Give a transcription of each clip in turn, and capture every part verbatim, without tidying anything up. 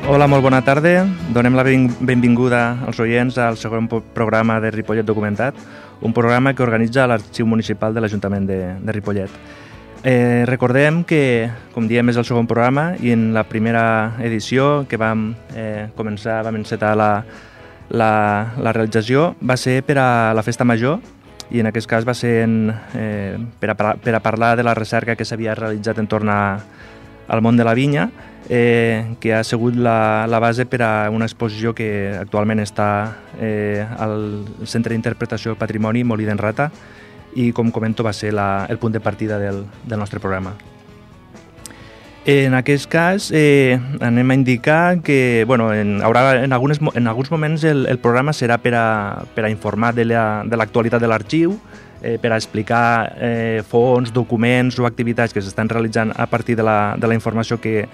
Hola, molt bona tarda. Donem la benvinguda als oients al segon programa de Ripollet Documentat, un programa que organitza l'Arxiu Municipal de l'Ajuntament de, de Ripollet. Eh, recordem que, com diem, és el segon programa i en la primera edició que vam eh, començar, vam encetar la, la, la realització, va ser per a la Festa Major i en aquest cas va ser en, eh, per, a, per a parlar de la recerca que s'havia realitzat entorn a, al món de la vinya, eh, que ha sigut la, la base per a una exposició que actualment està eh, al Centre d'Interpretació del Patrimoni Molí d'en Rata i, com comento, va ser la, el punt de partida del, del nostre programa. En aquest cas eh, anem a indicar que bueno, en, haurà, en, algunes, en alguns moments el, el programa serà per a, per a informar de l'actualitat la, de l'arxiu, eh, per a explicar eh, fons, documents o activitats que s'estan realitzant a partir de la, de la informació que,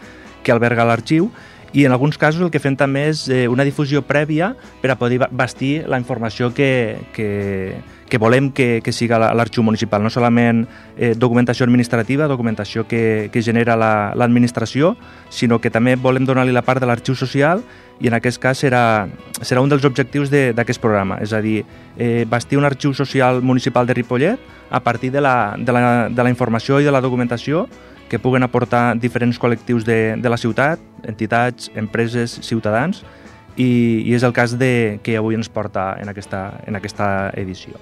que alberga l'arxiu, i en alguns casos el que fem també és eh, una difusió prèvia per a poder bastir la informació que, que, que volem que, que siga l'arxiu municipal, no solament eh, documentació administrativa, documentació que, que genera l'administració, la, sinó que també volem donar-li la part de l'arxiu social, i en aquest cas serà, serà un dels objectius d'aquest programa, és a dir, eh, bastir un arxiu social municipal de Ripollet a partir de la, de la, de la informació i de la documentació que puguen aportar diferents col·lectius de, de la ciutat, entitats, empreses, ciutadans, i, i és el cas de, que avui ens porta en aquesta, en aquesta edició.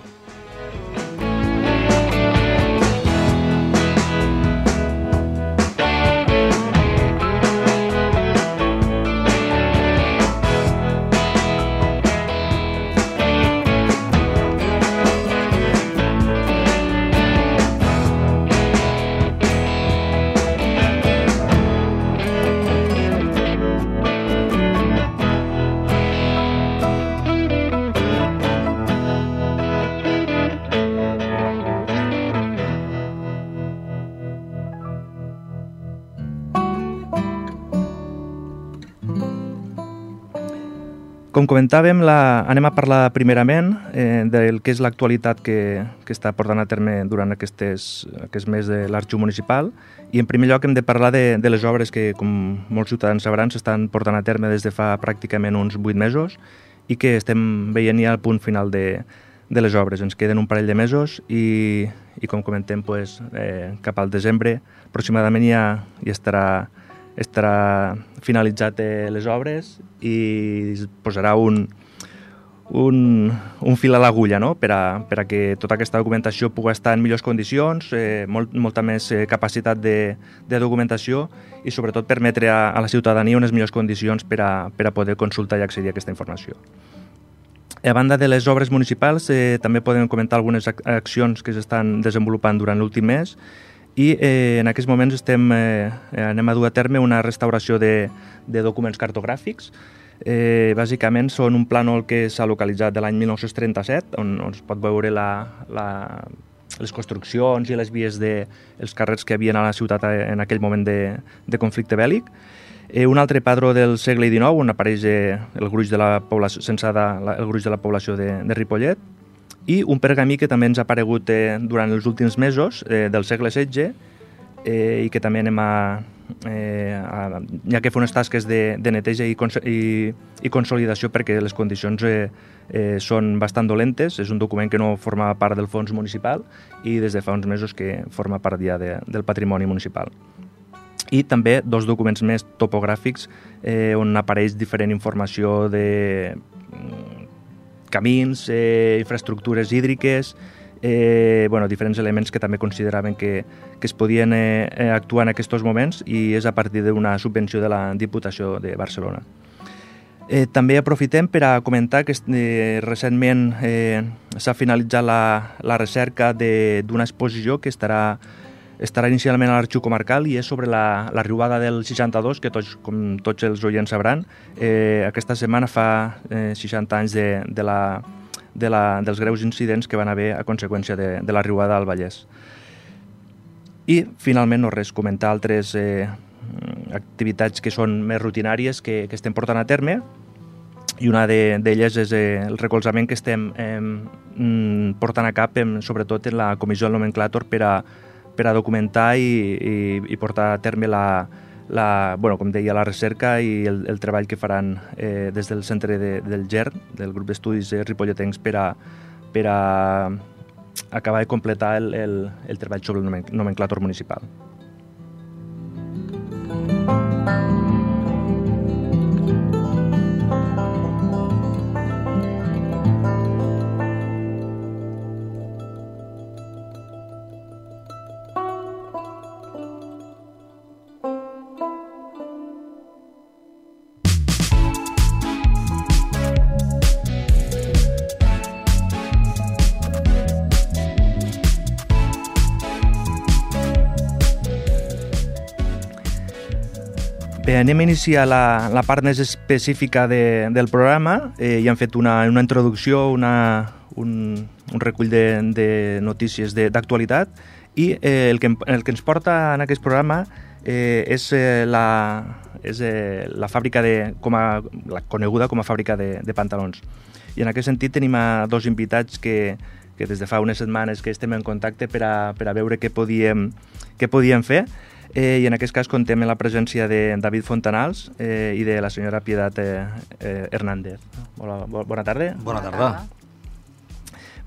Com comentàvem, la, anem a parlar primerament eh, del que és l'actualitat que, que està portant a terme durant aquestes, aquest mes de l'arxiu municipal, i en primer lloc hem de parlar de, de les obres que, com molts ciutadans sabran, s'estan portant a terme des de fa pràcticament uns vuit mesos i que estem veient ja el punt final de, de les obres. Ens queden un parell de mesos i, i com comentem, pues, eh, cap al desembre aproximadament ja, ja estarà estarà finalitzat eh, les obres i es posarà un, un, un fil a l'agulla, no? per, a, per a que tota aquesta documentació pugui estar en millors condicions, eh, molt, molta més eh, capacitat de, de documentació i sobretot permetre a, a la ciutadania unes millors condicions per a, per a poder consultar i accedir a aquesta informació. A banda de les obres municipals, eh, també podem comentar algunes ac accions que s'estan desenvolupant durant l'últim mes, i eh, en aquests moments estem, eh, anem a dur a terme una restauració de, de documents cartogràfics. Eh, bàsicament són un plànol que s'ha localitzat de l'any mil nou-cents trenta-set, on, on es pot veure la, la, les construccions i les vies dels carrers que hi havia a la ciutat en aquell moment de, de conflicte bèl·lic. Eh, un altre padró del segle dinou, on apareix eh, el gruix de la població, censada, el gruix de la població de, de Ripollet, i un pergamí que també ens ha aparegut eh, durant els últims mesos, eh, del segle setze, eh, i que també anem a, eh, a... Hi ha que fer unes tasques de, de neteja i, i, i consolidació perquè les condicions eh, eh, són bastant dolentes. És un document que no forma part del fons municipal i des de fa uns mesos que forma part ja de, del patrimoni municipal. I també dos documents més topogràfics eh, on apareix diferent informació de camins, eh, infraestructures hídriques, eh, bueno, diferents elements que també consideraven que, que es podien eh, actuar en aquests moments, i és a partir d'una subvenció de la Diputació de Barcelona. Eh, també aprofitem per a comentar que eh, recentment eh, s'ha finalitzat la, la recerca d'una exposició que estarà estarà inicialment a l'Arxiu Comarcal i és sobre la, la riuada del seixanta-dos, que tots, com tots els oients sabran, eh, aquesta setmana fa eh, seixanta anys de, de la, de la, dels greus incidents que van haver a conseqüència de, de la riuada al Vallès. I, finalment, no res, comentar altres eh, activitats que són més rutinàries que, que estem portant a terme, i una d'elles és eh, el recolzament que estem eh, portant a cap, eh, sobretot en la Comissió del Nomenclàtor, per a, per a documentar i, i, i portar a terme la, la, bueno, com deia, la recerca i el, el treball que faran eh, des del centre de, del G E R, del grup d'estudis eh, ripolletens, per a, per a acabar de completar el, el, el treball sobre el nomenclàtor municipal. Bé, anem a iniciar la, la part més específica de, del programa. Eh, ja hem fet una, una introducció, una, un, un recull de, de notícies d'actualitat i eh, el, que, el que ens porta en aquest programa eh, és, eh, la, és eh, la fàbrica de, com a, la coneguda com a fàbrica de, de pantalons. I en aquest sentit tenim a dos invitats que, que des de fa unes setmanes que estem en contacte per a, per a veure què podíem, què podíem fer. Eh, I en aquest cas contem amb la presència de David Fontanals eh, i de la senyora Pietat eh, eh, Hernández. Hola, bo, bona tarda. Bona tarda.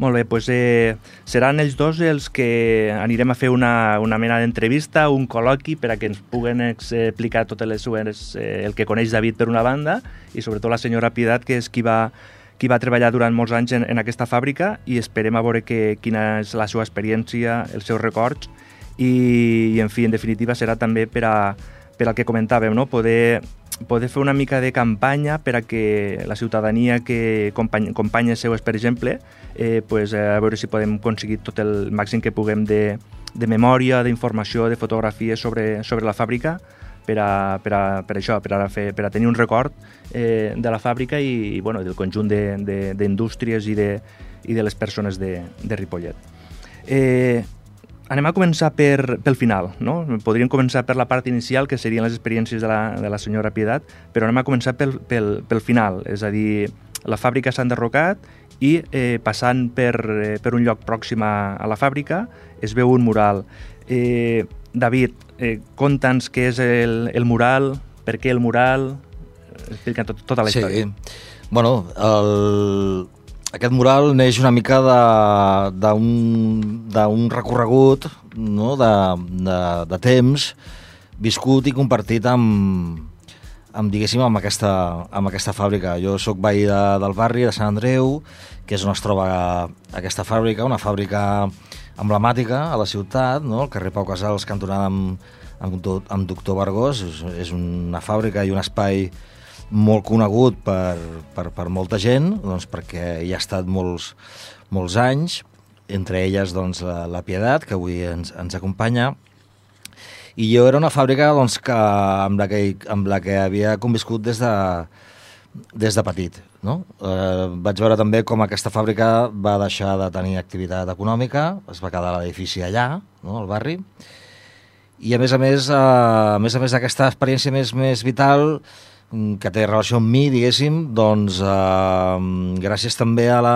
Molt bé, doncs eh, seran ells dos els que anirem a fer una, una mena d'entrevista, un col·loqui per a que ens puguen explicar totes les seves, eh, el que coneix David per una banda i sobretot la senyora Pietat, que és qui va, qui va treballar durant molts anys en, en aquesta fàbrica, i esperem a veure que, quina és la seva experiència, els seus records. I, i en fi, en definitiva serà també per, a, per al que comentàvem, no? poder, poder fer una mica de campanya per a que la ciutadania que company, companyes seues, per exemple, eh, pues, a veure si podem aconseguir tot el màxim que puguem de, de memòria, d'informació, de fotografies sobre, sobre la fàbrica per a, per a, per això, per a, fer, per a tenir un record eh, de la fàbrica i, i bueno, del conjunt d'indústries de, de, i, de, i de les persones de, de Ripollet. Eh, Anem a començar per, pel final, no? Podríem començar per la part inicial, que serien les experiències de la, de la senyora Pietat, però anem a començar pel, pel, pel final, és a dir, la fàbrica s'ha enderrocat i eh, passant per, eh, per un lloc pròxim a, a la fàbrica es veu un mural. Eh, David, eh, conta'ns què és el, el mural, per què el mural, explica tot, tota la història. Sí, bueno, el... Aquest mural neix una mica d'un recorregut, no? de, de, de temps viscut i compartit amb, amb, diguéssim, amb, aquesta, amb aquesta fàbrica. Jo sóc veí de, del barri de Sant Andreu, que és on es troba aquesta fàbrica, una fàbrica emblemàtica a la ciutat, no? El carrer Pau Casals, cantonada amb, amb, amb Doctor Vergós. És, és una fàbrica i un espai molt conegut per, per, per molta gent, doncs perquè hi ha estat molts, molts anys, entre elles doncs, la, la Pietat, que avui ens, ens acompanya. I jo era una fàbrica doncs, que, amb, la que, amb la que havia conviscut des de, des de petit. No? Eh, vaig veure també com aquesta fàbrica va deixar de tenir activitat econòmica, es va quedar l'edifici allà, no? Al barri, i a més a més, eh, a més a més d'aquesta experiència més, més vital, que té relació amb mi, diguéssim, doncs eh, gràcies també a la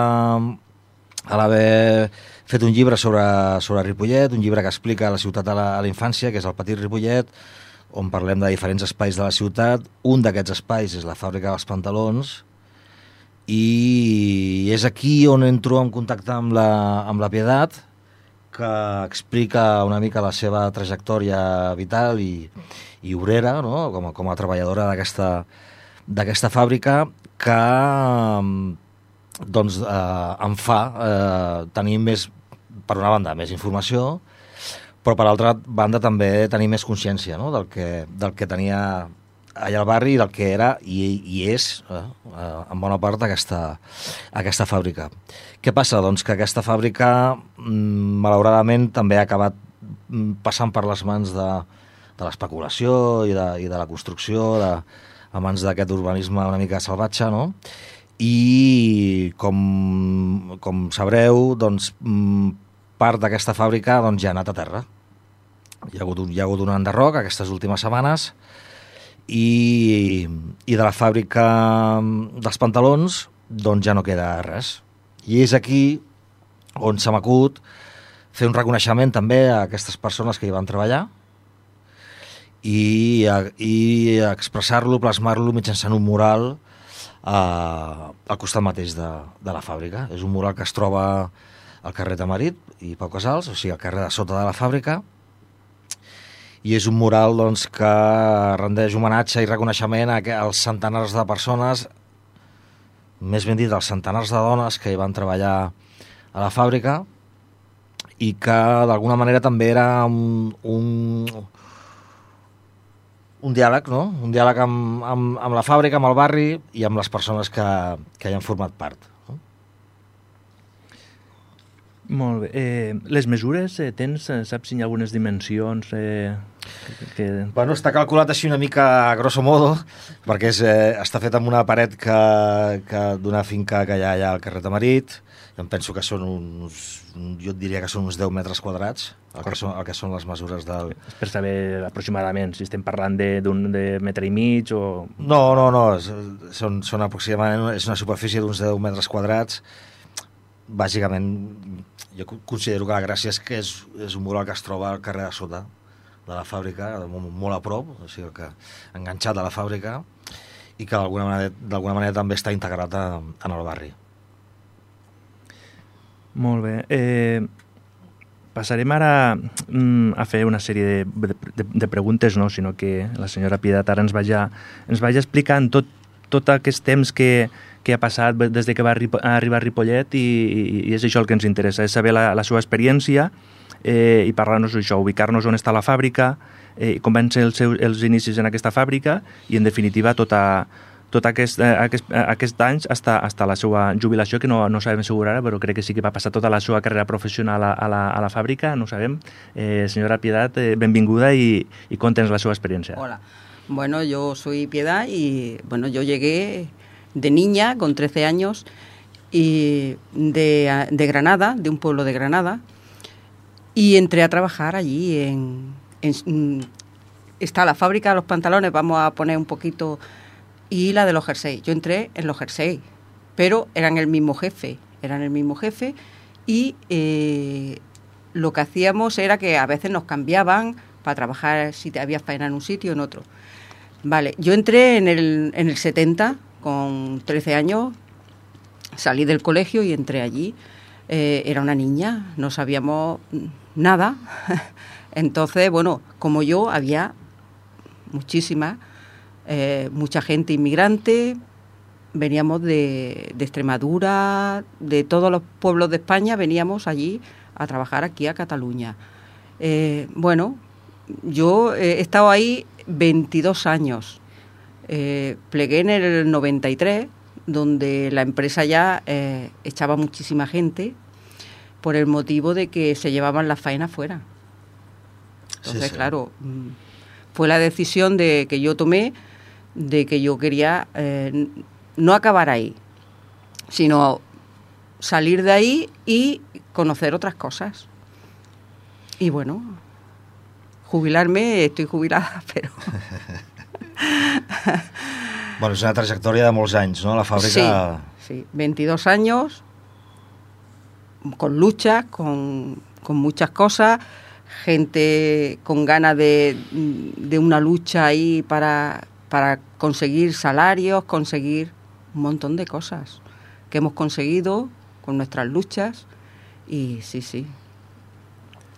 a l'haver fet un llibre sobre, sobre Ripollet, un llibre que explica la ciutat a la, a la infància, que és el Petit Ripollet, on parlem de diferents espais de la ciutat. Un d'aquests espais és la fàbrica dels pantalons, i és aquí on entro en contacte amb la, amb la Pietat, que explica una mica la seva trajectòria vital i, i obrera, no? com, a, com a treballadora d'aquesta d'aquesta fàbrica, que doncs, eh, em fa eh, tenir més, per una banda, més informació, però per altra banda també tenir més consciència, no? del, que, del que tenia allà al barri, del que era i, i és, eh, en bona part, aquesta, aquesta fàbrica. Què passa? Doncs que aquesta fàbrica, malauradament, també ha acabat passant per les mans de, de l'especulació i, de, i de la construcció, de, a mans d'aquest urbanisme una mica salvatge, no? I, com, com sabreu, doncs, part d'aquesta fàbrica doncs, ja ha anat a terra. Hi ha hagut un, hi ha hagut un enderroc aquestes últimes setmanes, i, i de la fàbrica dels pantalons doncs ja no queda res. I és aquí on se m'acut fer un reconeixement també a aquestes persones que hi van treballar i, i expressar-lo, plasmar-lo mitjançant un mural eh, al costat mateix de, de la fàbrica. És un mural que es troba al carrer Tamarit i Pau Casals, o sigui, al carrer de sota de la fàbrica, i és un mural doncs, que rendeix homenatge i reconeixement a, als centenars de persones, més ben dit, als centenars de dones que hi van treballar a la fàbrica i que d'alguna manera també era un, un, un diàleg, no? Un diàleg amb, amb, amb la fàbrica, amb el barri i amb les persones que, que hi han format part. No? Molt bé. Eh, les mesures, eh, tens, saps si hi ha algunes dimensions? Eh, que... Bueno, està calculat així una mica a grosso modo, perquè és, eh, està fet amb una paret que, que d'una finca que hi ha allà al carrer Tamarit. Em penso que són uns, jo et diria que són uns deu metres quadrats, el que són, el que són les mesures del... Per saber aproximadament si estem parlant d'un de, de metre i mig o... No, no, no, són, són aproximadament, és una superfície d'uns deu metres quadrats. Bàsicament, jo considero que la gràcia és que és, és un mural que es troba al carrer de sota de la fàbrica, molt, molt a prop, o sigui que enganxat a la fàbrica, i que d'alguna manera, d'alguna manera també està integrat a, en el barri. Molt bé. Eh, passarem ara mm, a fer una sèrie de, de, de preguntes, no? Sinó que la senyora Pietat ara ens vagi, ens vagi explicant tot, tot aquest temps que, que ha passat des de que va arribar a Ripollet i, i, i és això el que ens interessa, és saber la, la seva experiència eh, i parlar-nos d'això, ubicar-nos on està la fàbrica, eh, com van ser els, seus, els inicis en aquesta fàbrica i, en definitiva, tota tot aquest, aquest, aquest anys hasta, hasta la seva jubilació, que no, no sabem assegurar, però crec que sí que va passar tota la seva carrera professional a, a, la, a la fàbrica, no ho sabem. Eh, senyora Pietat, eh, benvinguda y, y cuéntenos la seva experiencia. Hola, bueno, yo soy Piedad y bueno, yo llegué de niña, con trece años, y de, de Granada, de un pueblo de Granada, y entré a trabajar allí en, en... Está la fábrica de los pantalones, vamos a poner un poquito... y la de los jerseys. Yo entré en los jerseys, pero eran el mismo jefe, eran el mismo jefe y eh, lo que hacíamos era que a veces nos cambiaban para trabajar si te había faena en un sitio o en otro. Vale, yo entré en el, en el setenta, con trece años, salí del colegio y entré allí. Eh, era una niña, no sabíamos nada. Entonces, bueno, como yo, había muchísimas... Eh, mucha gente inmigrante, veníamos de, de Extremadura, de todos los pueblos de España, veníamos allí a trabajar aquí a Cataluña. Eh, bueno, yo he estado ahí veintidós años, eh, plegué en el noventa y tres, donde la empresa ya eh, echaba muchísima gente por el motivo de que se llevaban las faenas fuera. Entonces, sí, sí. Claro, fue la decisión de que yo tomé de que yo quería eh, no acabar ahí, sino salir de ahí y conocer otras cosas. Y bueno, jubilarme, estoy jubilada, pero... Bueno, és una trajectòria de molts anys, no? La fàbrica... Sí, sí, veintidós años, con luchas, con, con muchas cosas, gente con ganas de, de una lucha ahí para... para conseguir salarios, conseguir un montón de cosas que hemos conseguido con nuestras luchas y sí, sí.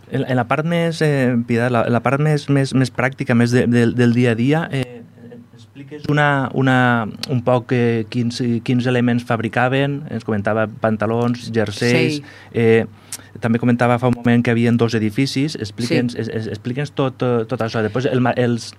En, en la part més, eh, Piedad, la, la part més, més, més pràctica, més de, de, del dia a dia, eh, expliques una, una, un poc eh, quins, quins elements fabricaven, ens comentava pantalons, jerseis, sí. eh, també comentava fa un moment que hi havia dos edificis, explique'ns sí. es, explique'ns tot, tot això, després el, els,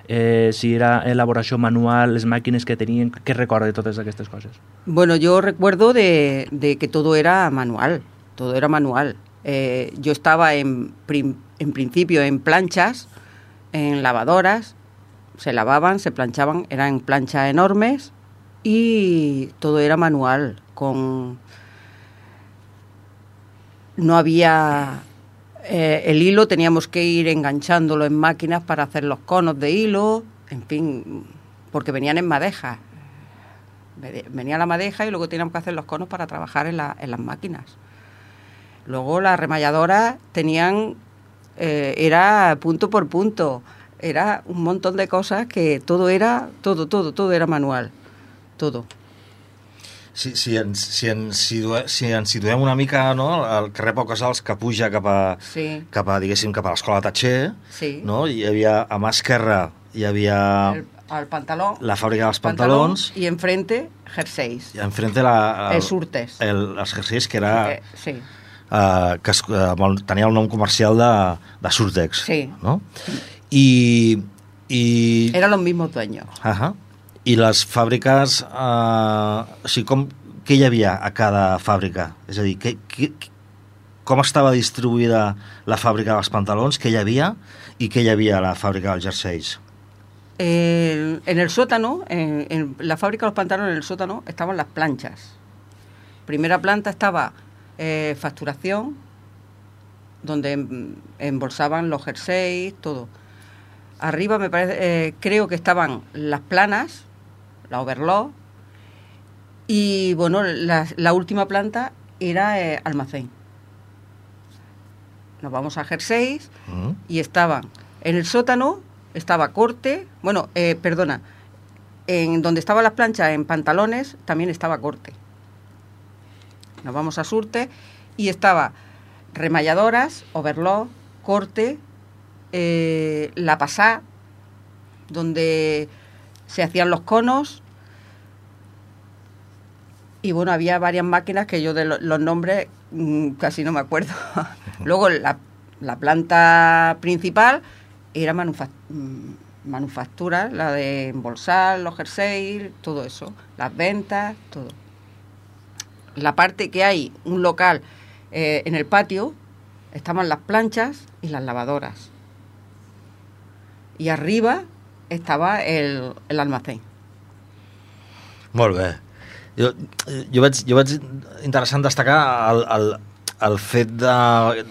eh, si era elaboració manual, les màquines que tenien, què recorda de totes aquestes coses? Bueno, yo recuerdo de, de que todo era manual, todo era manual. Eh, yo estaba en, prim, en principio en planchas, en lavadoras, se lavaban, se planchaban, eran planchas enormes y todo era manual, con... No había eh, el hilo, teníamos que ir enganchándolo en máquinas para hacer los conos de hilo, en fin, porque venían en madeja. Venía la madeja y luego teníamos que hacer los conos para trabajar en, la, en las máquinas. Luego las remalladoras tenían, eh, era punto por punto. era un montón de cosas que todo era, todo, todo, todo era manual, todo. Si, si, ens, si, ens situem, si ens situem una mica, no, al carrer Pau Casals, que puja cap a, sí. cap a, diguéssim, cap a l'escola Tatxer, sí. no? Hi havia, a mà esquerra, hi havia... El, el pantaló. La fàbrica dels pantalons. I enfrente, jerseis. I enfrente la... El, els surtes. El, els jerseis, que era... Eh, sí. Uh, que es, uh, tenia el nom comercial de, de Surtex. Sí. No? I... i... Eran los mismos dueños. Ajá. I les fàbriques, eh, o sigui, com, què hi havia a cada fàbrica? És a dir, que, que, com estava distribuïda la fàbrica dels pantalons, què hi havia i què hi havia a la fàbrica dels jerseis? Eh, en el sótano, en, en la fábrica de los pantalones, en el sótano, estaban las planchas. Primera planta estaba eh, facturación, donde embolsaban los jerseys, todo. Arriba me parece, eh, creo que estaban las planas, la overlock, y bueno, la, la última planta era eh, almacén. Nos vamos a jerseys uh-huh. y estaban en el sótano, estaba corte, bueno, eh, perdona, en donde estaban las planchas en pantalones también estaba corte. Nos vamos a surte y estaba remalladoras, overlock, corte, eh, la pasá, donde se hacían los conos. Y bueno, había varias máquinas que yo de lo, los nombres mmm, casi no me acuerdo. Luego la, la planta principal era manufac manufactura, la de embolsar los jerseys, todo eso, las ventas, todo. La parte que hay, un local eh, en el patio, estaban las planchas y las lavadoras. Y arriba estaba el, el almacén. Molt bé. Jo, jo, vaig, jo vaig interessant destacar el, el, el fet de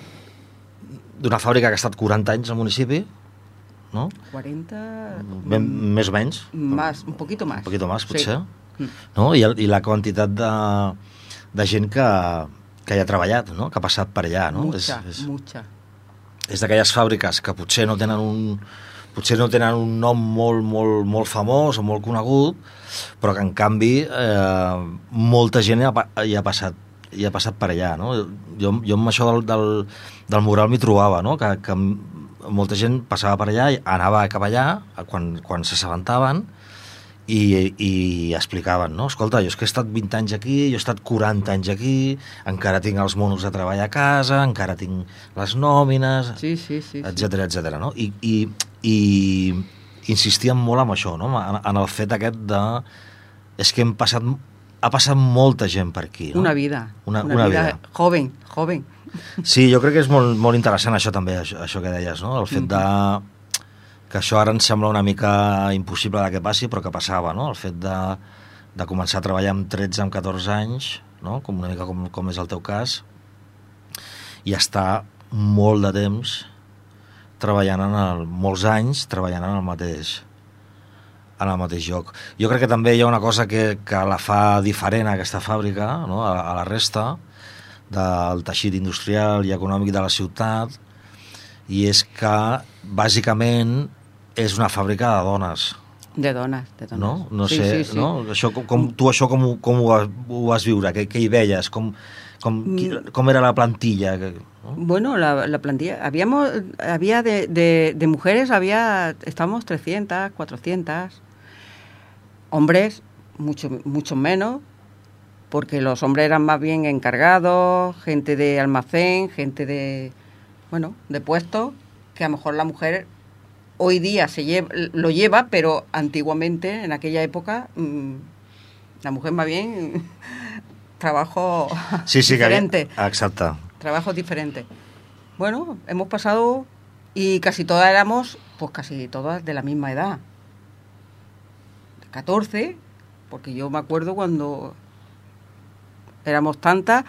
d'una fàbrica que ha estat quaranta anys al municipi, no? quaranta... Ben, més o menys? Más, un poquito más. Un poquito más, potser. Sí. No? I, el, I la quantitat de, de gent que, que hi ha treballat, no? Que ha passat per allà, no? Mucha, és, és, mucha. És d'aquelles fàbriques que potser no tenen un... potser no tenen un nom molt, molt, molt famós o molt conegut, però que en canvi eh, molta gent hi ha, hi ha passat hi ha passat per allà, no? Jo, jo amb això del, del, del mural m'hi trobava, no? Que, que molta gent passava per allà i anava cap allà quan, quan s'assabentaven i, i explicaven, no? Escolta, jo és que he estat vint anys aquí, jo he estat quaranta anys aquí, encara tinc els monos de treball a casa, encara tinc les nòmines, sí, sí, sí, etcètera, etcètera, no? I, i, i insistíem molt en això, no? En, en el fet aquest de... És que hem passat... Ha passat molta gent per aquí, no? Una vida. Una, una, una vida, vida. Joven, joven. Sí, jo crec que és molt, molt interessant això també, això, això que deies, no? El fet de... que això ara ens sembla una mica impossible de que passi, però que passava, no? El fet de, de començar a treballar amb tretze, amb catorze anys, no? Com una mica com, com és el teu cas, i estar molt de temps treballant en el... molts anys treballant en el mateix en el mateix lloc. Jo crec que també hi ha una cosa que, que la fa diferent a aquesta fàbrica, no? a, a la resta del teixit industrial i econòmic de la ciutat, i és que bàsicament és una fàbrica de dones. De dones, de dones. No? No sí, sé, sí, sí. no? Això, com, tu això com, com ho, vas, ho vas viure? Què, què hi veies? Com, com, com era la plantilla? ¿No? Bueno, la, la plantilla, habíamos, había de, de, de mujeres, había, estábamos trescientas, cuatrocientas, hombres, mucho, mucho menos, porque los hombres eran más bien encargados, gente de almacén, gente de, bueno, de puestos, que a lo mejor la mujer hoy día se lleva, lo lleva, pero antiguamente, en aquella época, mmm, la mujer más bien trabajo sí, sí, diferente. Que había, exacto. Trabajos diferentes. Bueno, hemos pasado y casi todas éramos, pues casi todas de la misma edad. catorce, porque yo me acuerdo cuando éramos tantas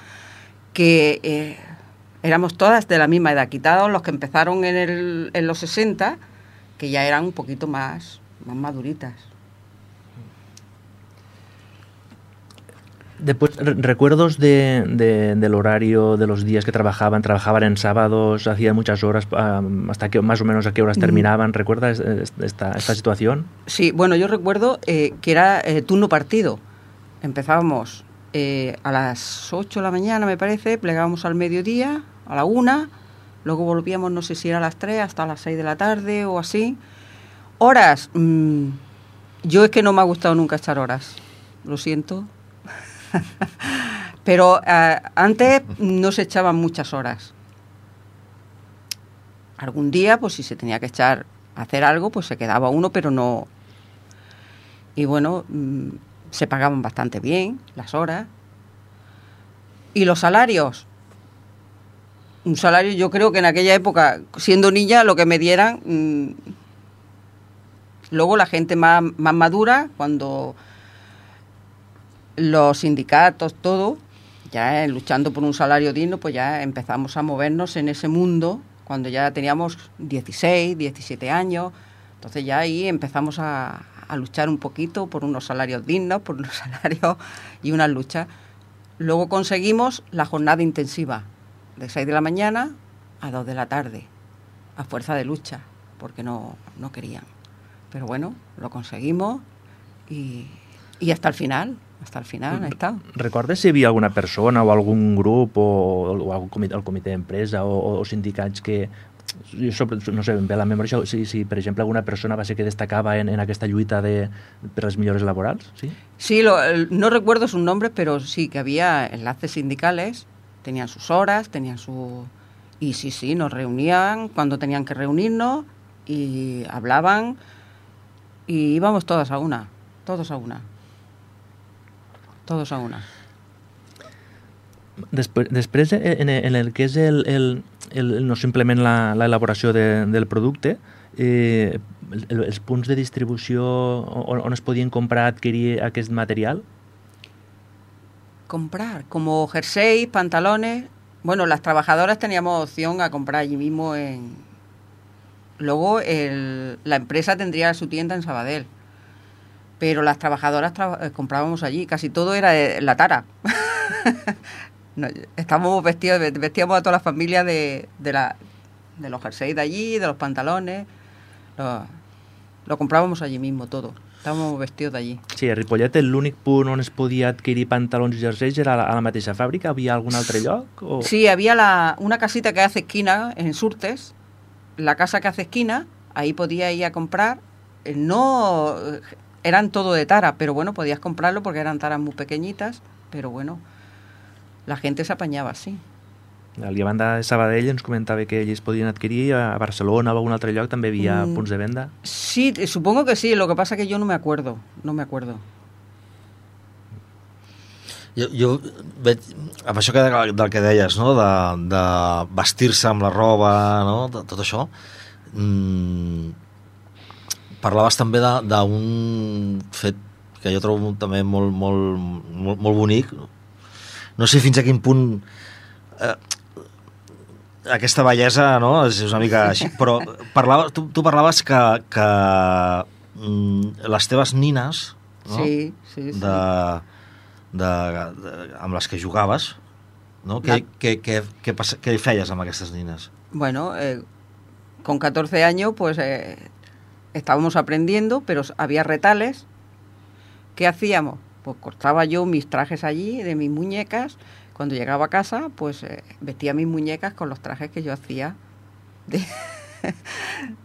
que eh, éramos todas de la misma edad, quitados los que empezaron en, el, en los sesenta, que ya eran un poquito más, más maduritas. Después, recuerdos de, de, del horario, de los días que trabajaban. Trabajaban en sábados, hacían muchas horas, um, hasta que más o menos a qué horas terminaban. ¿Recuerdas esta, esta situación? Sí, bueno, yo recuerdo eh, que era eh, turno partido. Empezábamos eh, a las ocho de la mañana, me parece, plegábamos al mediodía, a la una, luego volvíamos, no sé si era a las tres, hasta las seis de la tarde o así. Horas, mmm, yo es que no me ha gustado nunca echar horas, lo siento. Pero eh, antes no se echaban muchas horas. Algún día, pues si se tenía que echar a hacer algo, pues se quedaba uno, pero no. Y bueno, mmm, se pagaban bastante bien las horas. ¿Y los salarios? Un salario, yo creo que en aquella época, siendo niña, lo que me dieran. Mmm, luego la gente más, más madura, cuando los sindicatos, todo, ya eh, luchando por un salario digno, pues ya empezamos a movernos en ese mundo, cuando ya teníamos dieciséis, diecisiete años, entonces ya ahí empezamos a, a luchar un poquito por unos salarios dignos, por unos salarios y unas luchas. Luego conseguimos la jornada intensiva, de seis de la mañana a dos de la tarde, a fuerza de lucha, porque no, no querían. Pero bueno, lo conseguimos y, y hasta el final. Hasta el final ha estado. ¿Recordes si hi havia alguna persona o algun grup o, o algun comitè, el comitè d'empresa o, o sindicats que, jo sobre, no sé, em ve a la memòria, si, si per exemple alguna persona va ser que destacava en, en aquesta lluita de, per les millores laborals? Sí, sí lo, no recuerdo sus nombres, pero sí que había enlaces sindicales, tenían sus horas, tenían su... Y sí, sí, nos reunían cuando tenían que reunirnos y hablaban y íbamos todas a una, todos a una. Todos a una. Després, després en, en el que és el, el, el, no simplement l'elaboració de, del producte, eh, el, els punts de distribució on, on es podien comprar, adquirir aquest material? Comprar, como jerseys, pantalones. Bueno, las trabajadoras teníamos opción a comprar allí mismo en... Luego el, la empresa tendría su tienda en Sabadell. Pero las trabajadoras tra- comprábamos allí, casi todo era de la tara. No, estábamos vestidos, vestíamos a toda la familia de, de, la, de los jerseys de allí, de los pantalones, lo, lo comprábamos allí mismo todo, estábamos vestidos de allí. Sí, a Ripollet l'únic punt on es podia adquirir pantalons i jerseis era a la, a la mateixa fàbrica, havia algun altre lloc? O... Sí, había la, una casita que hace esquina en Surtes, la casa que hace esquina, ahí podía ir a comprar, no... Eran todo de tara, pero bueno, podías comprarlo porque eran taras muy pequeñitas, pero bueno, la gente se apañaba así. A la banda de Sabadell ens comentava que ells podien adquirir, a Barcelona o a algun altre lloc també hi havia mm, punts de venda. Sí, supongo que sí, lo que pasa que yo no me acuerdo, no me acuerdo. Jo, jo veig, amb això que, del que deies, no? de, de vestir-se amb la roba, no? De, tot això, mmm, parlaves també d'un fet que jo trobo també molt, molt, molt, molt bonic. No sé fins a quin punt eh, aquesta bellesa, no? És una mica així, però parlava, tu, tu parlaves que, que mm, les teves nines, no? Sí, sí, sí. De, de, de, amb les que jugaves, no? Què, què, què, què, què feies amb aquestes nines? Bueno, eh, con catorce años, pues... Eh, estábamos aprendiendo, pero había retales. ¿Qué hacíamos? Pues cortaba yo mis trajes allí, de mis muñecas. Cuando llegaba a casa, pues eh, vestía mis muñecas con los trajes que yo hacía de,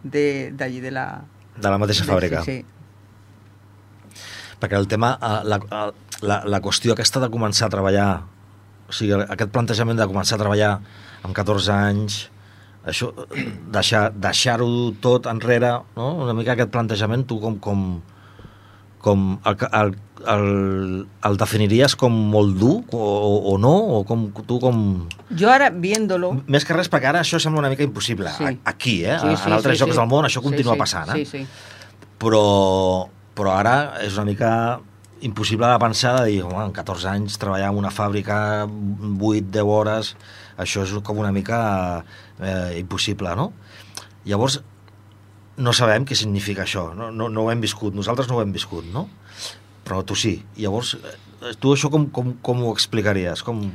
de, de allí, de la... De la mateixa de, fàbrica. Sí, sí. Perquè el tema, la, la, la qüestió aquesta de començar a treballar, o sigui, aquest plantejament de començar a treballar amb catorze anys... Això, deixar, deixar-ho tot enrere, no? Una mica aquest plantejament, tu com, com, com el, el, el, el definiries com molt dur o, o no? O com, tu com... Jo ara, viéndolo... Més que res, perquè ara això sembla una mica impossible. Sí. Aquí, eh? Sí, sí, en altres sí, jocs sí. del món això continua sí, sí, passant, eh? Sí, sí. Però, però ara és una mica impossible de pensar, de dir, home, en catorze anys treballar en una fàbrica vuit deu hores, això és com una mica eh, impossible, no? Llavors, no sabem què significa això, no, no, no ho hem viscut, nosaltres no ho hem viscut, no? però tu sí. Llavors, tu això com, com, com ho explicaries? Com...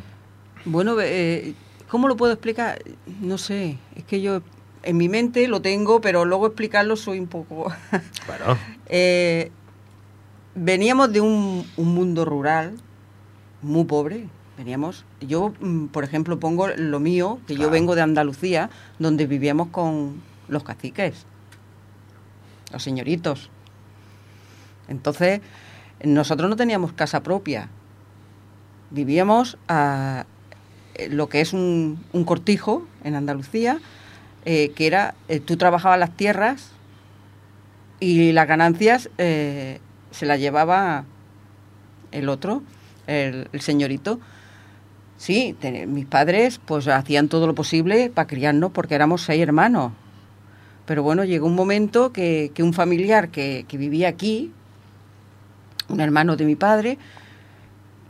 Bueno, eh, ¿cómo lo puedo explicar? No sé, es que yo en mi mente lo tengo, pero luego explicarlo soy un poco... Bueno. eh, veníamos de un, un mundo rural muy pobre, veníamos... Yo, por ejemplo, pongo lo mío, que claro. Yo vengo de Andalucía, donde vivíamos con los caciques, los señoritos. Entonces, nosotros no teníamos casa propia. Vivíamos a lo que es un, un cortijo en Andalucía, eh, que era, eh, tú trabajabas las tierras y las ganancias eh, se las llevaba el otro, el, el señorito. Sí, te, mis padres pues hacían todo lo posible para criarnos porque éramos seis hermanos. Pero bueno, llegó un momento que, que un familiar que, que vivía aquí, un hermano de mi padre,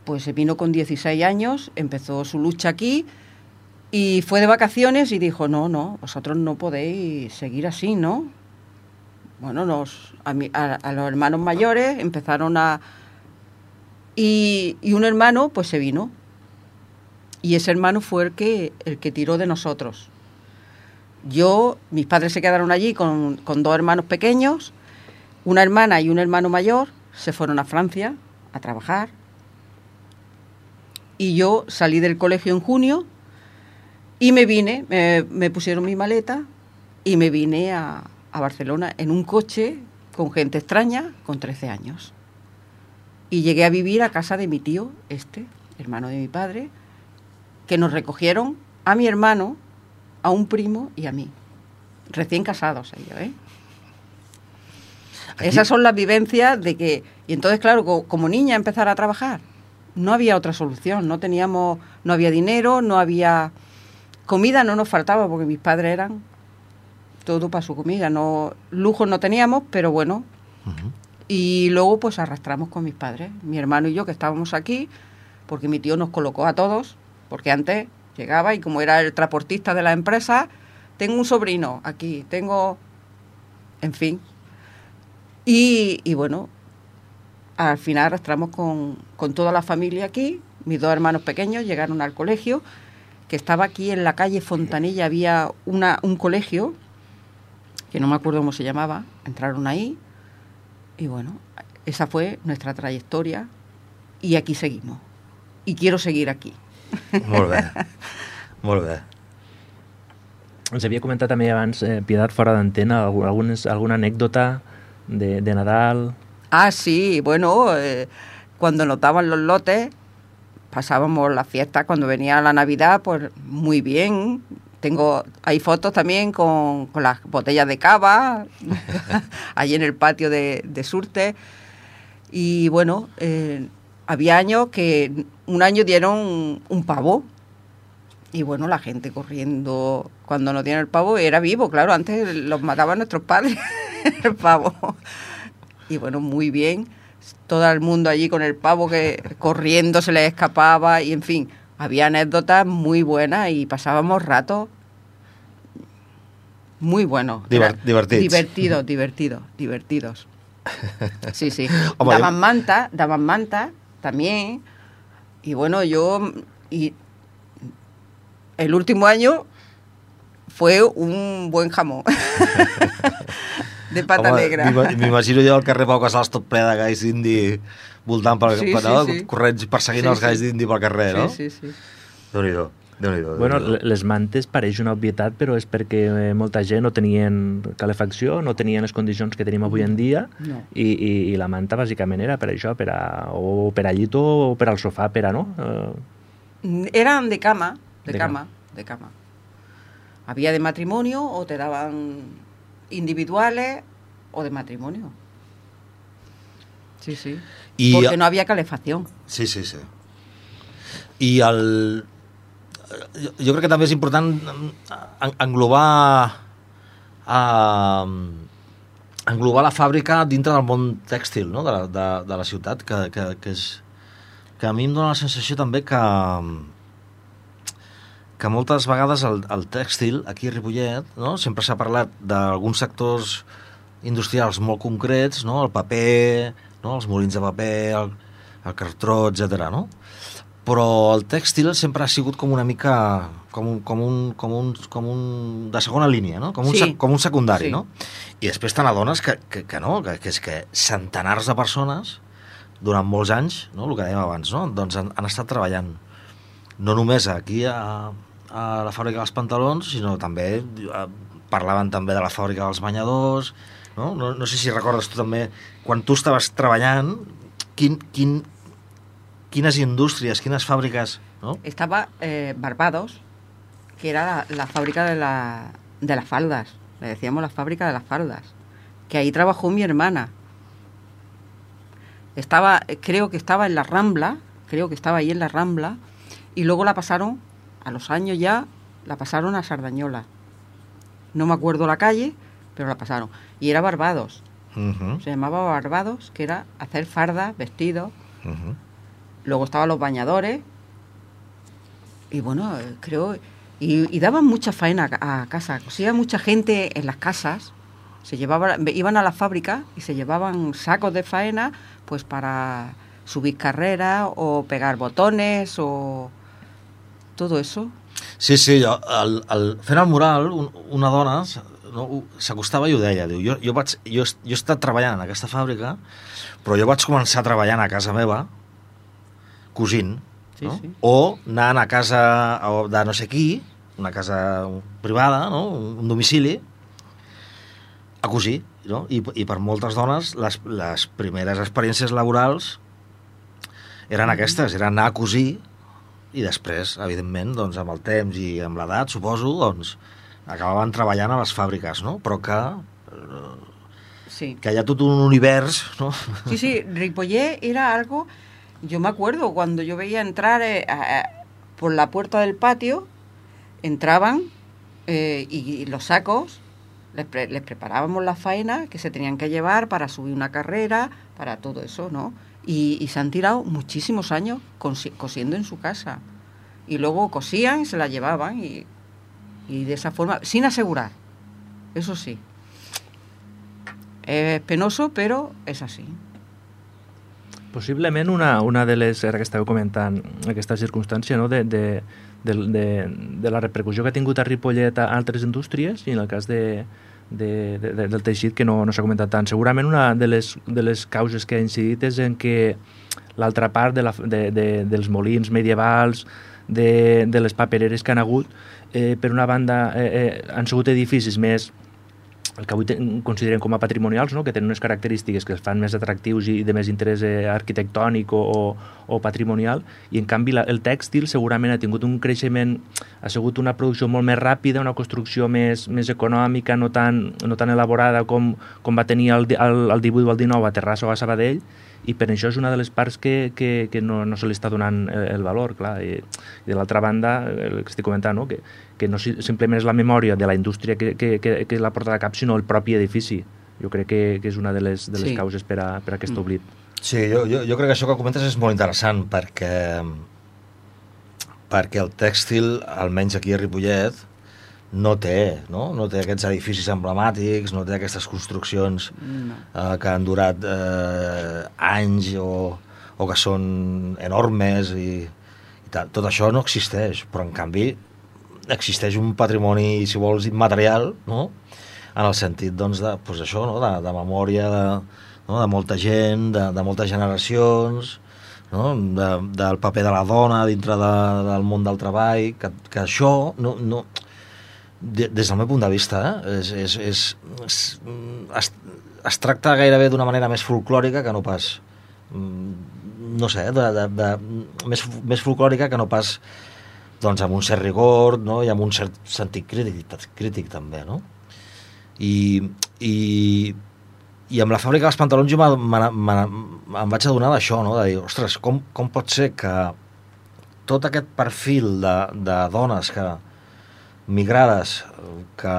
pues se vino con dieciséis años, empezó su lucha aquí y fue de vacaciones y dijo, no, no, vosotros no podéis seguir así, ¿no? Bueno, nos, a, mi, a, a los hermanos mayores empezaron a... Y, y un hermano pues se vino. Y ese hermano fue el que, el que tiró de nosotros. Yo, mis padres se quedaron allí con, con dos hermanos pequeños, una hermana y un hermano mayor, se fueron a Francia a trabajar. Y yo salí del colegio en junio y me vine, me, me pusieron mi maleta y me vine a, a Barcelona en un coche con gente extraña con trece años. Y llegué a vivir a casa de mi tío, este, hermano de mi padre, que nos recogieron a mi hermano, a un primo y a mí. Recién casados ellos, ¿eh? Aquí... Esas son las vivencias de que... Y entonces, claro, co- como niña empezar a trabajar, no había otra solución. No teníamos... No había dinero, no había... Comida no nos faltaba porque mis padres eran todo para su comida. No, lujos no teníamos, pero bueno. Uh-huh. Y luego pues arrastramos con mis padres, mi hermano y yo, que estábamos aquí, porque mi tío nos colocó a todos, porque antes llegaba y como era el transportista de la empresa, tengo un sobrino aquí, tengo... En fin. Y, y bueno, al final arrastramos con, con toda la familia aquí. Mis dos hermanos pequeños llegaron al colegio, que estaba aquí en la calle Fontanilla, había una, un colegio, que no me acuerdo cómo se llamaba, entraron ahí, y bueno, esa fue nuestra trayectoria, y aquí seguimos. Y quiero seguir aquí. Molt bé, molt bé. Ens havia comentat també abans, eh, Piedad, fora d'antena, algunes, alguna anécdota de, de Nadal. Ah, sí, bueno, eh, cuando nos daban los lotes, pasábamos la fiesta, cuando venía la Navidad, pues muy bien. Tengo, hay fotos también con, con las botellas de cava, allí en el patio de, de Surte. Y bueno, eh, había años que un año dieron un, un pavo. Y bueno, la gente corriendo cuando no tienen el pavo, era vivo, claro, antes los mataban nuestros padres, el pavo. Y bueno, muy bien, todo el mundo allí con el pavo que corriendo se les escapaba y en fin, había anécdotas muy buenas y pasábamos ratos muy buenos. Diver- divertits. Divertidos, divertidos, divertidos. Sí, sí. Daban manta, daban manta también. Y bueno, yo... y el último año fue un buen jamón de pata Home, negra. m'imagino jo al carrer Pau Casals tot ple de galls d'indi voltant pel, sí, no? sí, sí. corrents perseguint sí, els galls sí. d'indi pel carrer, no? Sí, sí, sí. Déu-n'hi-do. Déu-n'hi-do, Bueno, Déu-n'hi-do. les mantes pareix una obvietat, però és perquè molta gent no tenien calefacció, no tenien les condicions que tenim avui en dia, No. i, i, i la manta bàsicament era per això, per a, o per al llit o per al sofà, per a, no? Uh... Eran de cama, de, De cama, de cama. Había de matrimonio o te daban individuales o de matrimonio. Sí, sí. I- Porque no había calefacción. Sí, sí, sí. I el... Jo, jo crec que també és important en- englobar uh, englobar la fàbrica dintre del món tèxtil, no? de, la, de, de la ciutat, que, que, que, és, que a mi em dóna la sensació també que que moltes vegades el, el tèxtil aquí a Ripollet, no? Sempre s'ha parlat d'alguns sectors industrials molt concrets, no? El paper, no? Els molins de paper, el, el cartró, etcètera, no? Però el tèxtil sempre ha sigut com una mica com un, com un, com un, com un de segona línia, no? Com un, sí. com un secundari, sí. no? I després te n'adones que, que, que no, que, que és que centenars de persones durant molts anys, no? El que dèiem abans, no? Doncs han, han estat treballant no només aquí a, a la fàbrica dels pantalons, sinó també a, parlaven també de la fàbrica dels banyadors, no? No, no sé si recordes tu també, quan tu estaves treballant, quin, quin, quines indústries, quines fàbriques, ¿no? Estaba eh, Barbados, que era la, la fábrica de, la, de las faldas, le decíamos la fábrica de las faldas, que ahí trabajó mi hermana. Estaba, creo que estaba en la Rambla, creo que estaba ahí en la Rambla, y luego la pasaron, a los años ya, la pasaron a Sardañola. No me acuerdo la calle, pero la pasaron. Y era Barbados. Uh-huh. Se llamaba Barbados, que era hacer fardas, vestidos. Uh-huh. Luego estaban los bañadores. Y bueno, creo... Y, y daban mucha faena a, a casa. Cosía mucha gente en las casas. Se llevaba, iban a la fábrica y se llevaban sacos de faena pues para subir carreras o pegar botones o todo eso. Sí, sí, jo, el, el, fent el mural, un, una dona no, s'acostava i ho deia, diu, jo, jo, vaig, jo, jo he estat treballant en aquesta fàbrica, però jo vaig començar treballant a casa meva, cosint, sí, no? Sí. O anant a casa de no sé qui, una casa privada, no? Un domicili, a cosir, no? I, i per moltes dones les, les primeres experiències laborals eren aquestes, eren anar a cosir i després, evidentment, doncs, amb el temps i amb l'edat, suposo, doncs, acabaven treballant a les fàbriques, no? Però que, sí. que hi ha tot un univers, ¿no? Sí, sí, Ripollet era algo... Yo me acuerdo cuando yo veía entrar eh, a, a, por la puerta del patio, entraban eh, y, y los sacos, les, pre, les preparábamos la faena que se tenían que llevar para subir una carrera, para todo eso, ¿no? Y, y se han tirado muchísimos años cosi, cosiendo en su casa. Y luego cosían y se la llevaban y, y de esa forma, sin asegurar, eso sí. Es penoso, pero es así. Possiblement una, una de les, ara que estàveu comentant aquesta circumstància, no? de, de, de, de, de la repercussió que ha tingut a Ripollet a altres indústries, i en el cas de, de, de, del teixit, que no, no s'ha comentat tant. Segurament una de les, de les causes que ha incidit és en que l'altra part de la, de, de, dels molins medievals, de, de les papereres que han hagut, eh, per una banda eh, eh, han sigut edificis més el que avui considerem com a patrimonials, no? Que tenen unes característiques que els fan més atractius i de més interès eh, arquitectònic o, o, o patrimonial, i en canvi la, el tèxtil segurament ha tingut un creixement, ha sigut una producció molt més ràpida, una construcció més, més econòmica, no tan, no tan elaborada com, com va tenir el, el, el divuit o el dinou a Terrassa o a Sabadell, i per això és una de les parts que, que, que no, no se li està donant el, el valor, clar. I, i de l'altra banda, el que estic comentant, no? que, que no simplement és la memòria de la indústria que, que, que, que l'ha portat a cap, sinó el propi edifici. Jo crec que, que és una de les, de les sí. causes per a, per a aquest oblit. Sí, jo, jo, jo crec que això que comentes és molt interessant, perquè, perquè el tèxtil, almenys aquí a Ripollet, no té, no? No té aquests edificis emblemàtics, no té aquestes construccions no. eh, que han durat eh, anys o, o que són enormes i, i tal. Tot això no existeix, però en canvi existeix un patrimoni, si vols, immaterial, no? En el sentit, doncs, de, doncs això, no? de, de memòria de, no? de molta gent, de, de moltes generacions, no? de, del paper de la dona dintre de, del món del treball, que, que això no... no des del meu punt de vista, eh, és, és, és, és, es, es tracta gairebé d'una manera més folclòrica que no pas, no sé, de, de, de, més, més folclòrica que no pas doncs, amb un cert rigor, no? I amb un cert sentit crític, crític també, no? I, i, i amb la fàbrica dels pantalons jo em vaig adonar d'això, no? De dir, ostres, com, com pot ser que tot aquest perfil de, de dones que migrades, que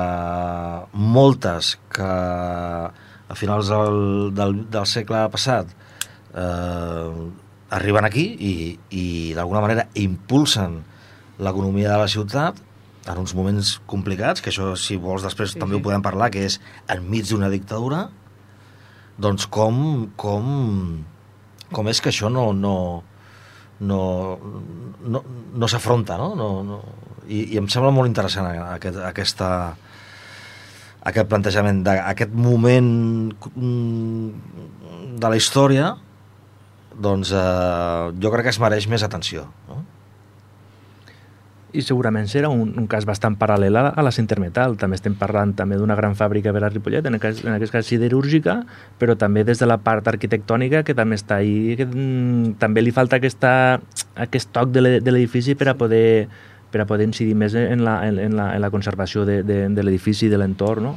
moltes que a finals del, del, del segle passat eh, arriben aquí i, i d'alguna manera impulsen l'economia de la ciutat en uns moments complicats, que això, si vols, després sí, també sí. ho podem parlar, que és enmig d'una dictadura, doncs com, com, com és que això no, no, no, no, no s'afronta, no? No, no. I, I em sembla molt interessant aquest, aquesta, aquest plantejament d'aquest moment de la història, doncs eh, jo crec que es mereix més atenció, no? I segurament serà un, un cas bastant paral·lel a, a la Cintermetal. També estem parlant també d'una gran fàbrica per a Ripollet, en aquest, en aquest cas siderúrgica, però també des de la part arquitectònica, que també està ahí, que mm, també li falta aquesta, aquest toc de l'edifici per a poder per a poder incidir més en la, en, en la, en la conservació de, de, de l'edifici i de l'entorn, no?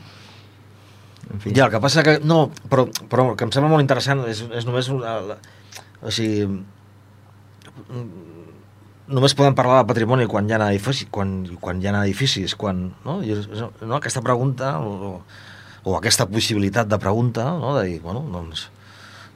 En fi. Ja, el que passa que... No, però, però el que em sembla molt interessant és, és només... La, la, o sigui... Només podem parlar de patrimoni quan hi ha edificis, quan, quan hi ha edificis, quan, no? I, no? Aquesta pregunta o, o aquesta possibilitat de pregunta, no? De dir, bueno, doncs,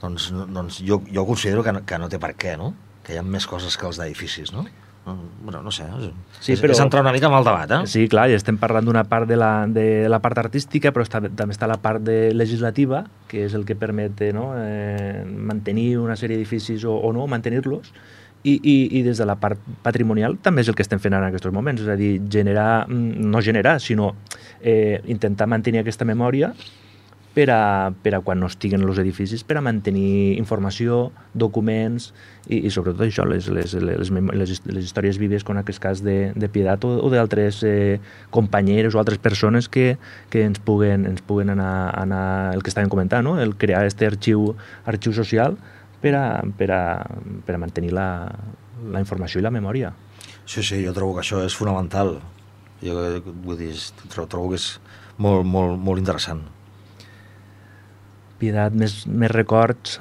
doncs, doncs jo, jo considero que no, que no té per què, no? Que hi ha més coses que els d'edificis, no? Bueno, no sé, és, sí, però, és entrar una mica amb el debat, eh? Sí, clar, i estem parlant d'una part de la, de la part artística, però està, també està la part de legislativa, que és el que permet, no? eh, mantenir una sèrie d'edificis o, o no, mantenir-los. I, i, i des de la part patrimonial també és el que estem fent en aquests moments, és a dir, generar, no generar, sinó eh, intentar mantenir aquesta memòria per a, per a quan no estiguen els edificis, per a mantenir informació, documents i, i sobretot això, les, les, les, les, les històries vives, com en aquest cas de, de Piedat o, o d'altres eh, companyeres o altres persones que, que ens puguen, ens puguen anar, anar, el que estàvem comentant, no? El crear aquest arxiu, arxiu social per a, per a, per a mantenir la, la informació i la memòria. Sí, sí, jo trobo que això és fonamental. Jo vull dir, trobo que és molt, molt, molt interessant. Piedat, més, més records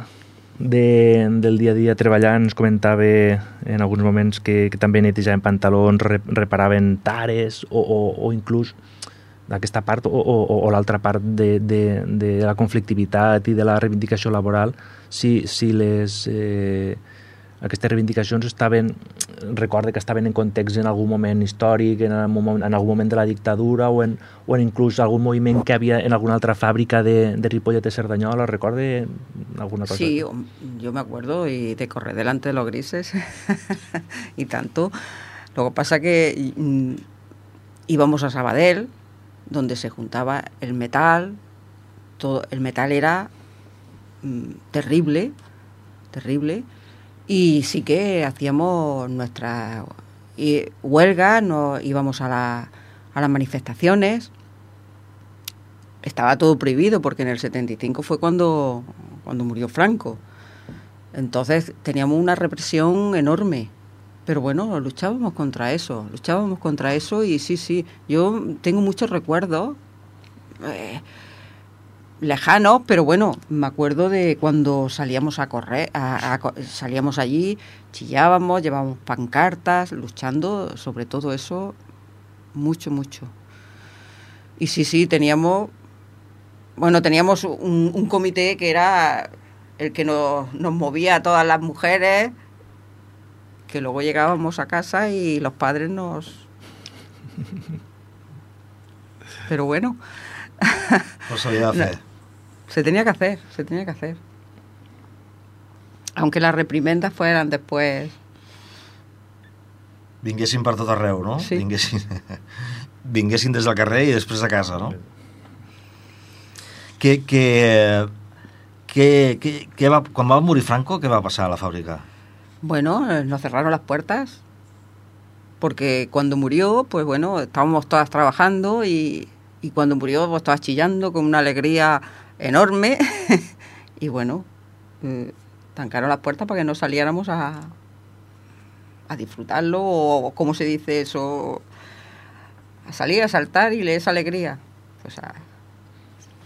de, del dia a dia treballant. Ens comentava en alguns moments que, que també netejaven pantalons, reparaven tares o, o, o inclús d'aquesta part o, o, o l'altra part de, de, de la conflictivitat i de la reivindicació laboral, si, si les, eh, aquestes reivindicacions estaven, recorde que estaven en context en algun moment històric, en, en algun moment de la dictadura o en, o en inclús algun moviment que havia en alguna altra fàbrica de, de Ripollet de Cerdanyola, recorde alguna cosa? Sí, yo me acuerdo y de correr delante de los grises y tanto. Lo que pasa que mm, íbamos a Sabadell, donde se juntaba el metal, todo el metal era mmm, terrible, terrible, y sí que hacíamos nuestra y, huelga, nos íbamos a, la, a las manifestaciones. Estaba todo prohibido porque en el setenta y cinco fue cuando, cuando murió Franco. Entonces teníamos una represión enorme. Pero bueno, luchábamos contra eso, luchábamos contra eso y sí, sí, yo tengo muchos recuerdos eh, lejanos, pero bueno, me acuerdo de cuando salíamos a correr, a, a, salíamos allí, chillábamos, llevábamos pancartas, luchando sobre todo eso, mucho, mucho. Y sí, sí, teníamos, bueno, teníamos un, un comité que era el que nos, nos movía a todas las mujeres, que luego llegábamos a casa y los padres nos... Pero bueno... No sabía hacer. No, se tenía que hacer, se tenía que hacer. Aunque las reprimendas fueran después... Vinguessin per tot arreu, no? Sí. Vinguessin, vinguessin des del carrer i després a casa, no? Que, que, que, que, que va, quan va morir Franco, què va passar a la fàbrica? Bueno, nos cerraron las puertas, porque cuando murió, pues bueno, estábamos todas trabajando y, y cuando murió pues todas chillando con una alegría enorme y bueno, eh, trancaron las puertas para que no saliéramos a, a disfrutarlo o, como se dice eso, a salir a saltar y esa alegría, pues a,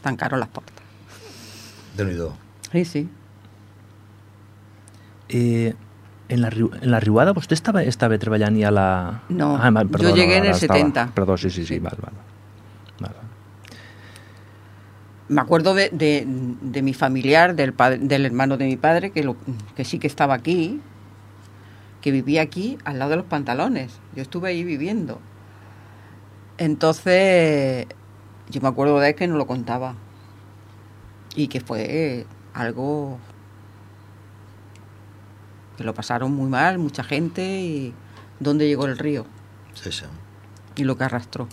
tancaron las puertas. Déu-n'hi-do. Sí, sí. Eh... En la, en la Riuada vostè estava, estava treballant ja a la... No, ah, perdó, jo llegué no, en el estava... setenta. Perdó, sí, sí, sí, val, val. val. Me acuerdo de, de, de mi familiar, del, padre, del hermano de mi padre, que, lo, que sí que estaba aquí, que vivía aquí, al lado de los pantalones. Yo estuve ahí viviendo. Entonces, yo me acuerdo de él que no lo contaba. y que fue algo que lo pasaron muy mal, mucha gente, y dónde llegó el río. Sí, sí. I el que arrastró.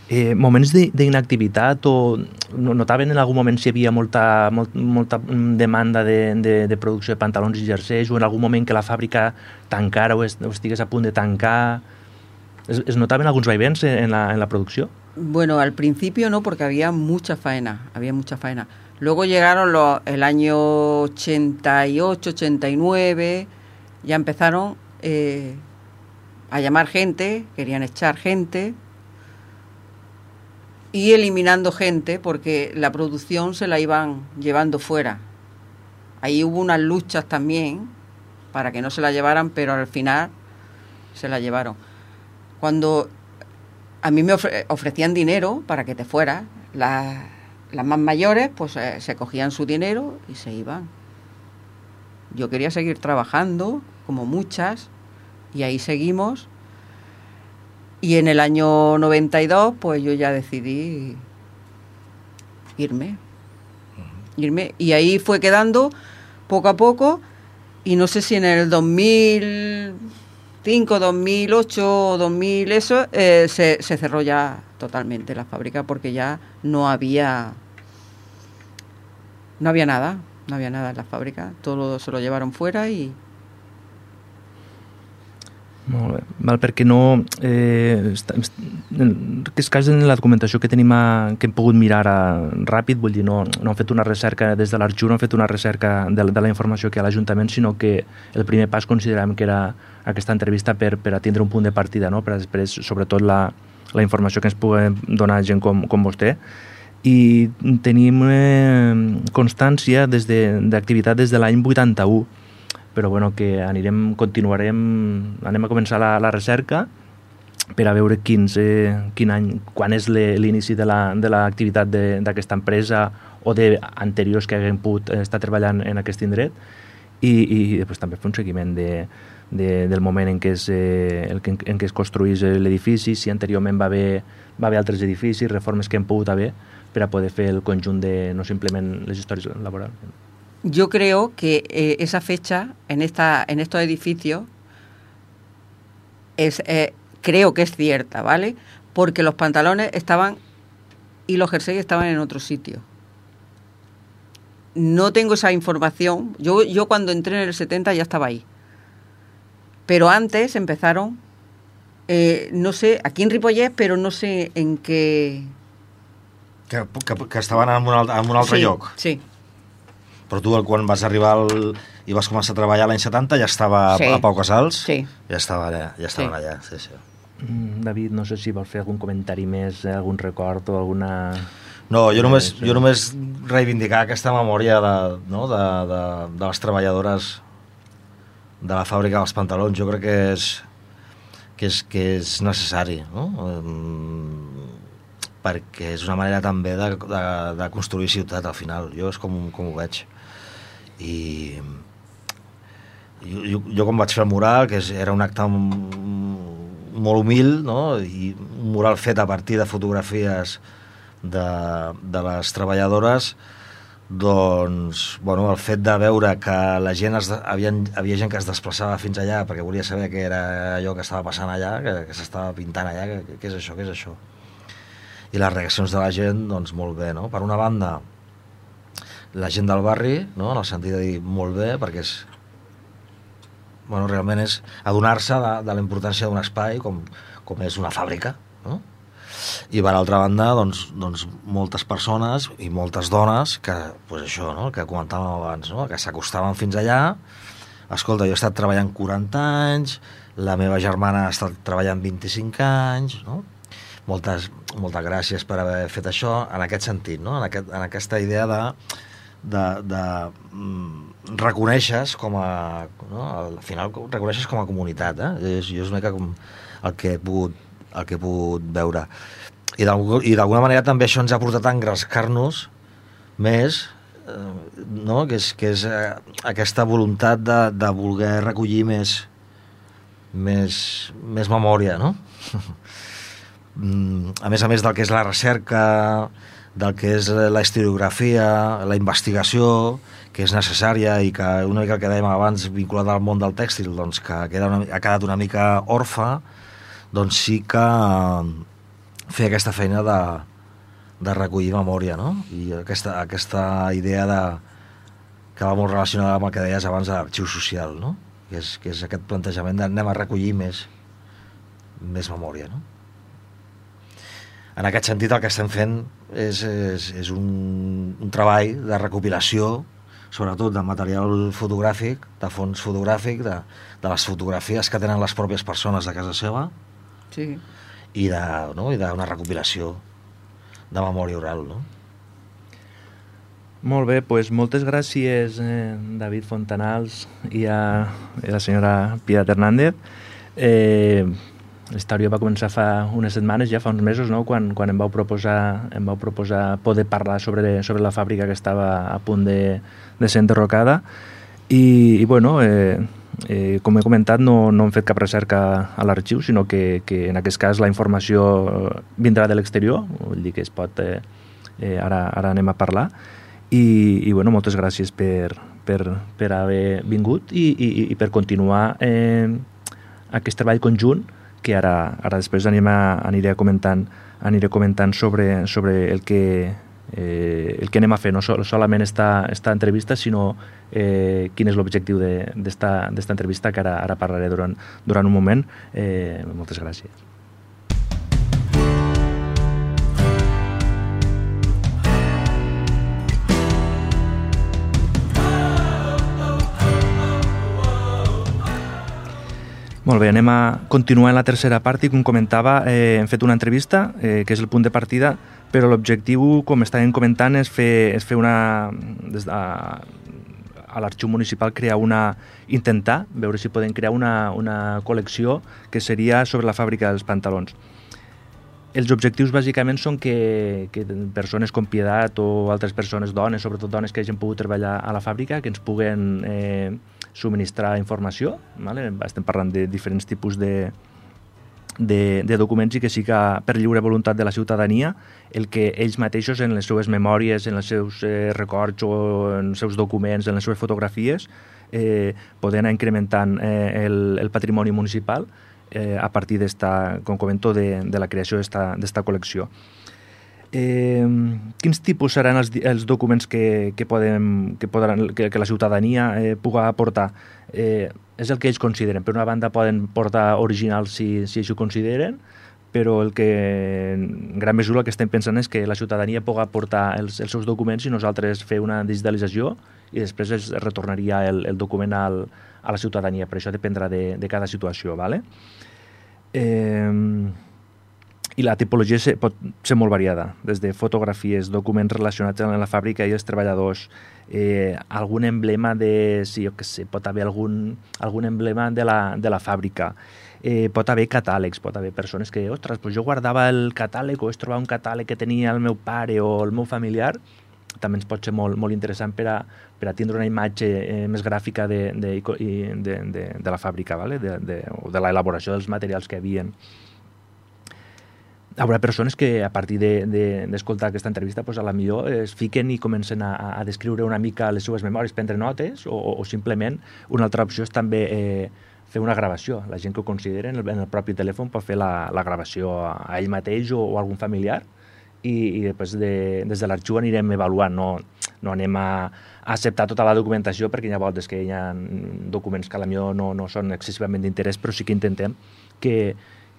Eh, moments d'inactivitat o notaven en algun moment si hi havia molta, molt, molta demanda de, de, de producció de pantalons i jerseis, o en algun moment que la fàbrica tancara o, es, o estigués a punt de tancar? ¿Es, es notaven alguns vaivens en la, en la producció? Bueno, al principio no, porque había mucha faena, había mucha faena. Luego llegaron los, el año ochenta y ocho, ochenta y nueve, ya empezaron eh, a llamar gente, querían echar gente y eliminando gente porque la producción se la iban llevando fuera. Ahí hubo unas luchas también para que no se la llevaran, pero al final se la llevaron. Cuando a mí me ofre- ofrecían dinero para que te fueras, las, las más mayores pues eh, se cogían su dinero y se iban. Yo quería seguir trabajando, como muchas, y ahí seguimos. Y en el año noventa y dos, pues yo ya decidí irme. Irme. Y ahí fue quedando poco a poco. Y no sé si en el dos mil cinco, dos mil ocho, dos mil eso, eh, se, se cerró ya totalmente la fábrica porque ya no había, no había nada. No había nada en la fábrica. Todo se lo llevaron fuera i... Molt bé. Val, perquè no... Eh, està, en aquest cas, en la documentació que tenim a, que hem pogut mirar a, ràpid, vull dir, no, no han fet una recerca des de l'Arxiu, no han fet una recerca de, de la informació que hi ha a l'Ajuntament, sinó que el primer pas considerem que era aquesta entrevista per, per a tindre un punt de partida, no? Per a després, sobretot, la, la informació que ens pugui donar gent com, com vostè. I tenim eh, constància des de, d'activitat des de l'any vuitanta-u, però bueno, que anirem, continuarem, anem a començar la, la recerca per a veure quins, eh, quin any, quan és l'inici de l'activitat la, d'aquesta empresa o d'anteriors que haguem pogut estar treballant en aquest indret, i, i després també fer un seguiment de, de, del moment en què es, eh, el, en què es construís l'edifici, si anteriorment va haver, va haver altres edificis, reformes que hem pogut haver, per a poder fer el conjunt de, no simplement les històries laborals. Yo creo que eh, esa fecha en esta en estos edificios es eh, creo que es cierta, ¿vale? Porque los pantalones estaban y los jerseys estaban en otro sitio. No tengo esa información. Yo yo cuando entré en el setenta ya estaba ahí. Pero antes empezaron, eh, no sé, aquí en Ripollet, pero no sé en qué... Que, que, que estaven en un, altre, en un altre sí, lloc. Sí. Però tu, quan vas arribar al, i vas començar a treballar l'any setanta, ja estava sí. a Pau Casals? Sí. Ja estava allà, ja estaven sí. allà, sí, sí. David, no sé si vols fer algun comentari més, algun record o alguna... No, jo només, jo només reivindicar aquesta memòria de, no, de, de, de les treballadores de la fàbrica dels pantalons. Jo crec que és, que és, que és necessari, no? Perquè és una manera també de, de, de construir ciutat al final. Jo és com, com ho veig. I jo, jo, jo quan vaig fer el mural, que és, era un acte molt humil, no? I un mural fet a partir de fotografies de, de les treballadores, doncs, bueno, el fet de veure que la gent es, havia, havia gent que es desplaçava fins allà perquè volia saber què era allò que estava passant allà, que, que s'estava pintant allà, què és això, què és això. I les reaccions de la gent, doncs, molt bé, no? Per una banda, la gent del barri, no? En el sentit de dir molt bé, perquè és... Bueno, realment és adonar-se de, de la importància d'un espai com, com és una fàbrica, no? I per altra banda, doncs, doncs moltes persones i moltes dones que, pues això, no? Que comentàvem abans, no? Que s'acostaven fins allà. Escolta, jo he estat treballant quaranta anys, la meva germana ha estat treballant vint-i-cinc anys, no? Moltes, moltes gràcies per haver fet això, en aquest sentit, no? En, aquest, en aquesta idea de, de, de mm, reconeixes com a... No? Al final reconeixes com a comunitat, eh? Jo és una mica com el que he pogut, el que he pogut veure. I d'alguna manera també això ens ha portat a engrescar-nos més, eh, no? Que és, que és eh, aquesta voluntat de, de voler recollir més, més, més memòria, no? A més a més del que és la recerca del que és la historiografia, la investigació, que és necessària i que una mica el que dèiem abans vinculat al món del tèxtil, doncs, que queda una, ha quedat una mica orfa, doncs sí que fer aquesta feina de, de recollir memòria, no? I aquesta, aquesta idea de, que va molt relacionada amb el que deies abans de l'arxiu social, no? Que és, que és aquest plantejament d'anem a recollir més, més memòria, no? En aquest sentit el que estem fent és, és, és un, un treball de recopilació, sobretot de material fotogràfic, de fons fotogràfic, de, de les fotografies que tenen les pròpies persones de casa seva, sí. i de, no? I d'una recopilació de memòria oral, no? Molt bé, doncs moltes gràcies, eh, David Fontanals i a, i a la senyora Piedad Hernández. Eh, La història va començar fa unes setmanes, ja fa uns mesos, no? quan, quan em vau proposar, em vau proposar poder parlar sobre, sobre la fàbrica que estava a punt de, de ser enderrocada. I, i bueno, eh, eh, com he comentat, no, no hem fet cap recerca a l'arxiu, sinó que, que en aquest cas la informació vindrà de l'exterior, vull dir que es pot, eh, eh, ara, ara anem a parlar. I, i bueno, moltes gràcies per, per, per haver vingut i, i, i per continuar eh, aquest treball conjunt que ara, ara després anem a, aniré comentant, aniré comentant sobre, sobre el, que, eh, el que anem a fer, no sol, solament esta, esta entrevista, sinó eh, quin és l'objectiu d'esta entrevista, que ara, ara parlaré durant, durant un moment. Eh, moltes gràcies. Molt bé, anem a continuar en la tercera part i, com comentava, eh, hem fet una entrevista, eh, que és el punt de partida, però l'objectiu, com estàvem comentant, és fer, és fer una... Des de, a l'arxiu municipal crear una... intentar veure si podem crear una, una col·lecció que seria sobre la fàbrica dels pantalons. Els objectius bàsicament són que, que persones com Piedat o altres persones, dones, sobretot dones que hagin pogut treballar a la fàbrica, que ens puguen eh, subministrar informació, vale? Estem parlant de diferents tipus de, de, de documents, i que sí que per lliure voluntat de la ciutadania el que ells mateixos en les seues memòries, en els seus eh, records o en els seus documents, en les seves fotografies eh, poden anar incrementant eh, el, el patrimoni municipal eh, a partir d'esta, com comento, de, de la creació d'esta col·lecció. Eh, quins tipus seran els, els documents que, que, podem, que, podran, que, que la ciutadania eh, puga aportar? Eh, és el que ells consideren. Per una banda poden portar originals si, si així ho consideren, però el que en gran mesura el que estem pensant és que la ciutadania puga aportar els, els seus documents i nosaltres fer una digitalització i després es retornaria el, el document al, a la ciutadania. Per això dependrà de, de cada situació. ¿Vale? Eh, I la tipologia pot ser molt variada, des de fotografies, documents relacionats amb la fàbrica i els treballadors, eh, algun emblema de, sí, jo què sé, pot haver algun, algun emblema de la, de la fàbrica, eh, pot haver catàlegs, pot haver persones que, ostres, doncs jo guardava el catàleg o és trobar un catàleg que tenia el meu pare o el meu familiar, també ens pot ser molt, molt interessant per a, per a tindre una imatge eh, més gràfica de, de, de, de, de la fàbrica, ¿vale? de, de, o de l'elaboració dels materials que havien. Hi haurà persones que a partir d'escoltar de, de, aquesta entrevista pues, a la millor es fiquen i comencen a, a descriure una mica les seves memòries, prendre notes, o, o simplement una altra opció és també eh, fer una gravació. La gent que ho considera en el, en el propi telèfon pot fer la, la gravació a, a ell mateix o, o a algun familiar i, i després de, des de l'arxiu anirem avaluant, no, no anem a, a acceptar tota la documentació perquè hi ha voltes que hi ha documents que a la millor no, no són excessivament d'interès, però sí que intentem que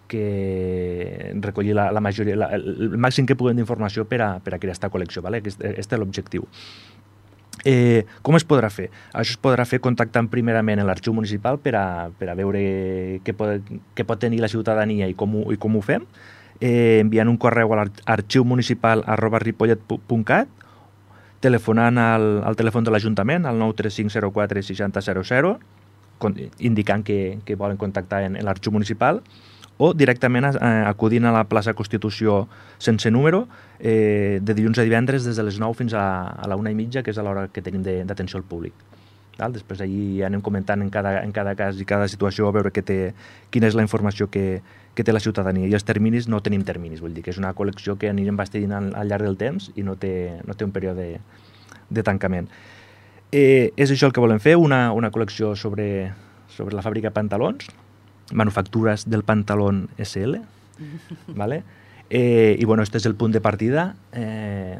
que recollir la, la majoria, la, el màxim que puguem d'informació per a, per a crear aquesta col·lecció. ¿Vale? Aquest, aquest és l'objectiu. Eh, com es podrà fer? Això es podrà fer contactant primerament en l'arxiu municipal per a, per a veure què pot, què pot tenir la ciutadania i com ho, i com ho fem, eh, enviant un correu a l'arxiu municipal arroba ripollet punt cat, telefonant al, al telèfon de l'Ajuntament, al nou tres cinc zero quatre sis zero zero zero, indicant que, que volen contactar en, en l'arxiu municipal, o directament eh, acudint a la plaça Constitució sense número eh, de dilluns a divendres des de les nou fins a, a la una i mitja, que és a l'hora que tenim d'atenció al públic. Val? Després allí anem comentant en cada, en cada cas i cada situació a veure què té, quina és la informació que, que té la ciutadania. I els terminis no tenim terminis, vull dir que és una col·lecció que anirem bastint al, al llarg del temps i no té, no té un període de, de tancament. Eh, és això el que volem fer, una, una col·lecció sobre, sobre la fàbrica de pantalons, manufactures del pantalón esse ele, ¿vale? Eh, I bueno, este és el punt de partida. Eh,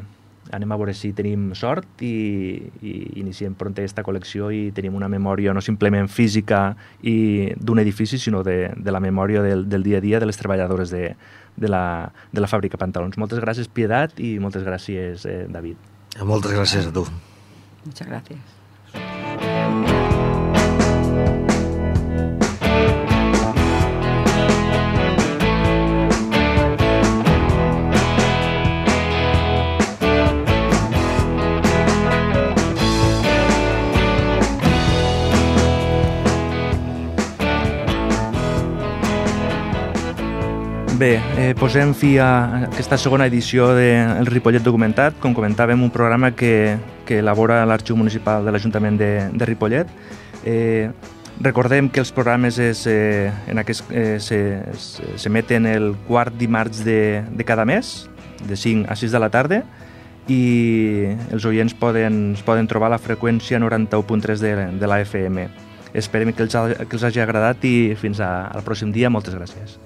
anem a veure si tenim sort i, i iniciem pront aquesta col·lecció i tenim una memòria no simplement física i d'un edifici, sinó de, de la memòria del, del dia a dia de les treballadores de, de, la, de la fàbrica de pantalons. Moltes gràcies, Pietat, i moltes gràcies, eh, David. Moltes gràcies a tu. Muchas gracias. Bé, eh, posem fi a aquesta segona edició del Ripollet Documentat. Com comentàvem, un programa que, que elabora l'Arxiu Municipal de l'Ajuntament de, de Ripollet. Eh, recordem que els programes es, eh, en aquest, eh, se, s'emeten el quart dimarts de, de cada mes, de cinc a sis de la tarda, i els oients poden, poden trobar la freqüència noranta-u punt tres de, de la efa ema. Esperem que els, que els hagi agradat i fins a, al pròxim dia. Moltes gràcies.